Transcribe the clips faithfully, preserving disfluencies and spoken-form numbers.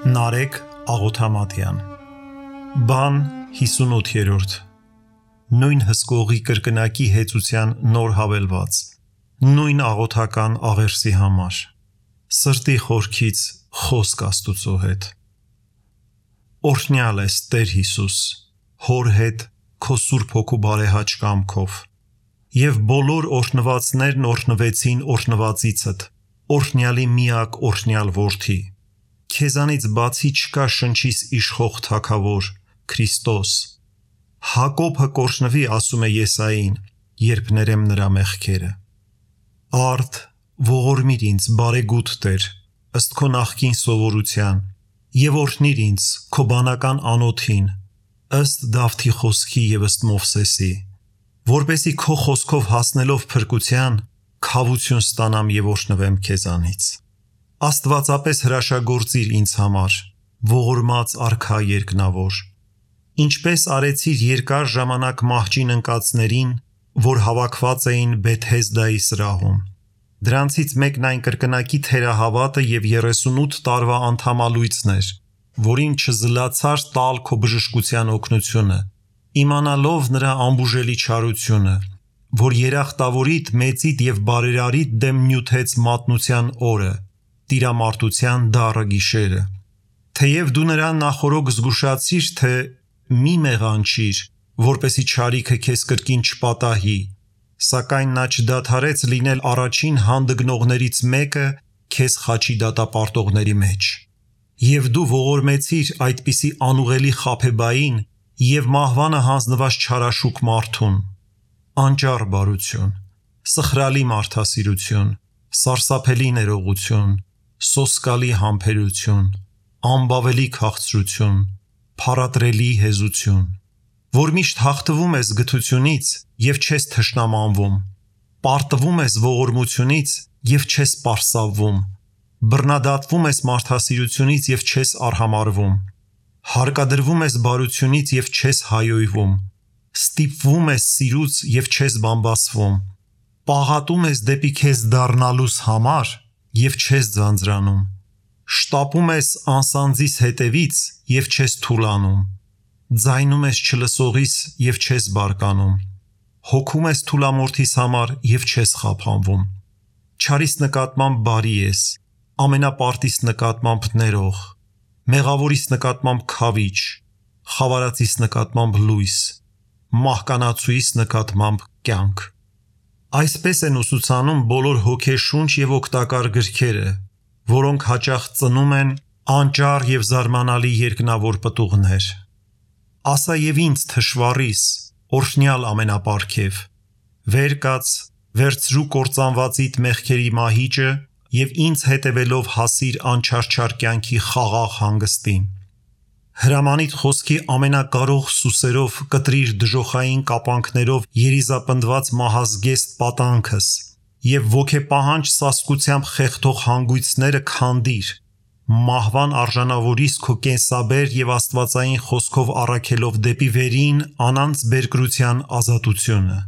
Նարեկ Աղոթամատյան Բան հիսունութերորդ Նույն հսկողի կրկնակի հեծության նոր հավելված Նույն աղոթական աղերսի համար Սրտի խորքից խոսք Աստուծո հետ Օրհնյալ ես Տեր Հիսուս Հոր հետ քո Սուրբ Հոգու բարեհաճ կամքով Եվ բոլոր օրհնվածներն օրհնվեցին օրհնվածիցդ Օրհնյալի միակ օրհնյալ որդի Քեզանից բացի չկա շնչիս իշխող թագավոր Քրիստոս Հակոբը կորշնվի ասում է Եսային երբ ներեմ նրա մեղքերը Արդ ողորմիր ինձ բարեգութ Տեր ըստ քո նախկին սովորության եւ օրհնիր ինձ քո բանական անոթին ըստ Դավթի խոսքի եւ ըստ Մովսեսի որպեսի քո խոսքով հասնելով փրկության քավություն ստանամ եւ օրհնվեմ քեզանից Աստվածապես հրաշագործիր ինձ համար, ողորմած արքա երկնավոր, ինչպես արեցիր երկար ժամանակ մահճին ընկածներին, որ հավաքված էին Բեթհեզդայի սրահում։ Դրանցից մեկն այն կրկնակի թերահավատը և երեսունութ տարվա անդամալույցն էր, որին չզլացար տալ քո բժշկության օգնությունը, իմանալով նրա անբուժելի չարությունը, որ երախտավորիդ, մեծիդ և բարերարիդ դեմ նյութեց մատնության օրը, տիրամարտության դառը գիշերը, թեև դու նրան նախորոք զգուշացիր, թե մի մեղանչիր, որպեսի չարիքը քեզ կրկին չպատահի, սակայն նա չդադարեց լինել առաջին հանդգնողներից մեկը քեզ խաչի դատապարտողների մեջ, և դու ողորմեցիր այդպիսի անուղելի խաբեբային և մահվանը հանձնված չարաշուք մարդուն, անճառ բարություն, սխրալի մարդասիրություն, սարսափելի ներողություն, սոսկալի համբերություն, անբավելի քաղցրություն, փառատրելի հեզություն, որ միշտ հաղթվում ես գթությունից և չես թշնամանվում, պարտվում ես ողորմությունից և չես պարսավվում, բռնադատվում ես մարդասիրությունից և չես արհամարվում, հարկադրվում ես բարությունից և չես հայոյվում, ստիպվում ես սիրուց և չես բամբասվում, պաղատում ես դեպի քեզ դառնալուս համար և չես ձանձրանում, շտապում ես անսանձիս հետևից և չես թուլանում, ձայնում ես չլսողիս և չես բարկանում, հոգում ես թուլամորթիս համար և չես խափանվում, չարիս նկատմամբ բարի ես, ամենապարտիս նկատմամբ ներող, մեղավորիս նկատմամբ քավիչ, խավարածիս նկատմամբ լույս, մահկանացուիս նկատմամբ կյանք Այսպես են ուսուցանում բոլոր հոգեշունչ և օգտակար գրքերը, որոնք հաճախ ծնում են անճառ և զարմանալի երկնավոր պտուղներ։ Ասա և ինձ թշվառիս, օրհնյալ ամենապարգև, վեր կաց, վերցրու կործանվածիդ մեղքերի մահիճը և ինձ հետևելով հասիր անչարչար կյանքի խաղաղ հանգստին։ Հրամանիդ խոսքի ամենակարող սուսերով կտրիր դժոխային կապանքներով երիզապնդված մահազգեստ պատանքս և ոգեպահանջ սասկությամբ խեղդող հանգույցները քանդիր, մահվան արժանավորիս քո կենսաբեր և աստվածային խոսքով առաքելով դեպի վերին անանց բերկրության ազատությունը։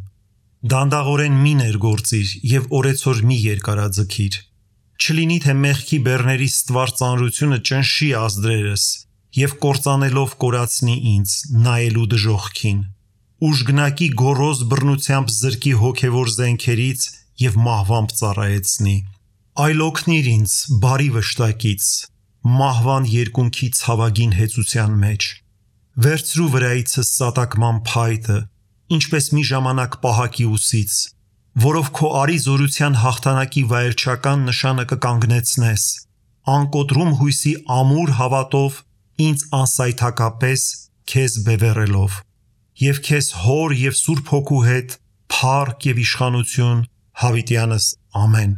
Դանդաղորեն մի ներգործիր և օրեցօր մի երկարաձգիր, չլինի թե մեղքի բեռների ստվար ծանրությունը ճնշի ազդրերս և կործանելով կորացնի ինձ, նայելու դժոխքին, ուժգնակի գոռոզ բռնությամբ զրկի հոգևոր զենքերից և մահվամբ ծառայեցնի, այլ օգնիր ինձ բարի վշտակից, մահվան երկունքի ցավագին հեծության մեջ, վերցրու վրայիցս սատակման փայտը, ինչպես մի ժամանակ պահակի ուսից, որով քո արի զորության հաղթանակի վայելչական նշանը կկանգնեցնես, անկոտրում հույսի ամուր հավատով ինձ անսայթակապես քեզ բևեռելով, և քեզ Հոր և Սուրբ Հոգու հետ փառք և իշխանություն հավիտյանս ամեն։